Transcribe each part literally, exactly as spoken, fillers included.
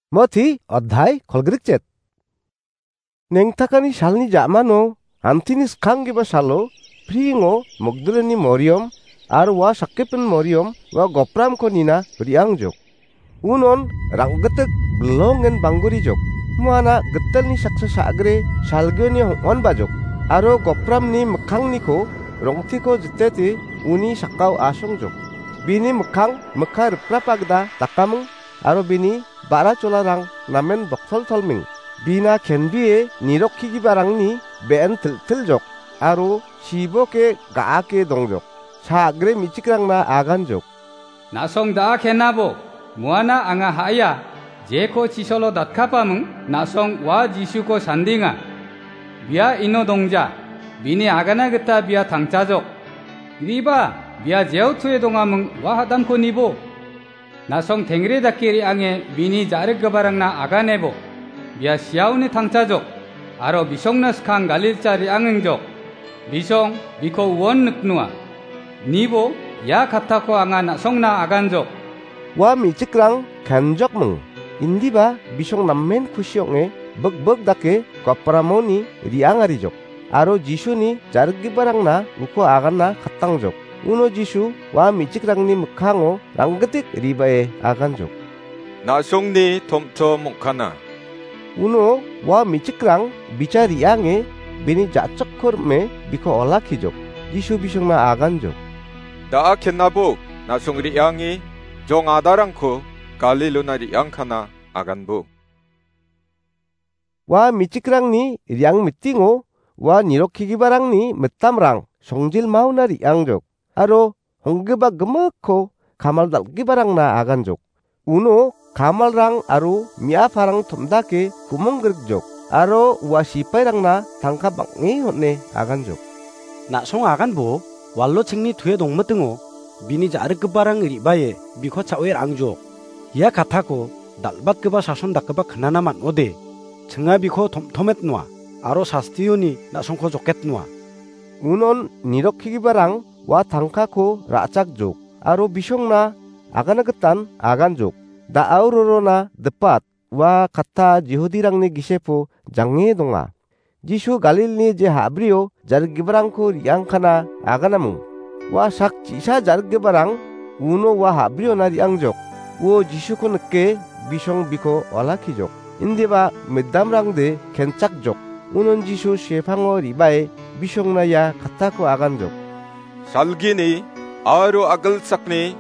Moti adhai kolgrikchet. Nengtakani salni ja·mano antini skanggipa salo priingo Magdalani Moriam aro ua sakgipin Moriam ua gopramko nina re·angjok. Unon rang·gitik bilongen banggurijok. Muana gitalni saksa sa·gre salgioni hong·onbajok. Aro gopramni mikkangniko rong·tiko jitete uni sakao asongjok. Bini mikkang mikka riprapa gita dakaming aro bini ba·ra cholarang namen boktoltolming. Bina kenbie nirokkigiparangni be·en tiltiljok aro siboke ga·ake dongjok. Sa·gre me·chikrangna aganjok. Na·song da·a kenabo, muana anga ha·ia, jeko chisolo datkapaming, na·song ua Jisuko sandinga. Bia ino dongja, bini agana gita bia tangchajok. Riba, bia jeo toe dongaming ua hadamko nibo. Na·song tengre dake re·ange bini ja·rikgiparangna aganebo. Bia siaoni tangchajok, aro bisongna skang Galilcha re·angengjok. Bisong biko uon niknoa. Nibo ia kattako anga na·songna aganjok. Ua me·chikrang kenjokming. Indiba bisong namen kusi ong·e bikbik dake gopramoni re·angarijok. Aro Jisuni ja·rikgiparangna uko aganna kattangjok. Uno Jisu ua me·chikrangni mikkango rang·gitik ribae aganjok. Na·songni tom·tom ong·kana. Uno ua me·chikrang bicha re·ange bini ja·chakko rim·e biko olakkijok. Jisu bisongna aganjok. Da·a kenabo na·song re·ange jong adarangko Galilona re·angkana aganbo. Ua me·chikrangni re·ang mitingo ua nirokkigiparangni mitamrang songjilmaona re·angjok, aro honggipa gimikko kamal dal·giparangna aganjok. Uno kamalrang aro me·aparang tom·dake ku·monggrikjok, aro ua sipairangna tangka bang·e on·e aganjok. Na·song aganbo walo chingni tue dongmitingo bini ja·rikgiparang re·bae biko cha·oe ra·angjok. Ia kattako dal·batgipa sason dakgipa knana man·ode, chinga biko tom·tomet noa, aro sastioni na·songko joket noa. Unon nirokkigiparang ua tangkako ra·chakjok, aro bisongna agana gitan aganjok. Da·ao rorona dipat, ua katta Jihudirangni gisepo jange donga. Jisu Galilni je ha·brio ja·rikgiparangko re·angkana aganaming. Ua sak chi·sa ja·rikgiparang uno ua ha·briona re·angjok. Uo Jisuko nike bisong biko olakkijok. Indiba midamrangde kenchakjok. Unon Jisu sepango re·bae bisongna ia kattako aganjok. Salgini aro agilsakni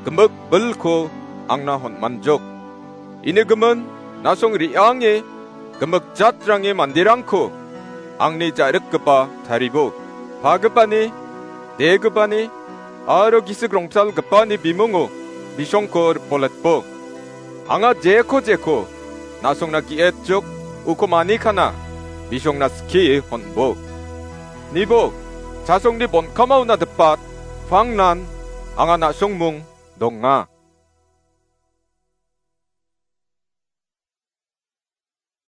gimik bilko angna honmanjok. Ini gimin na·song re·ange gimik jatrangni manderangko angni ja·rikgipa taribo. Pagipani, degipani aro gisik rongtalgipani bimungo bisongko ripoletbo. Anga jeko jeko na·songna ge·etjok uko manikana bisongna skie honbo. Nibo, chasongni bonkamao nadipat, pangnan anga na·songmung donga.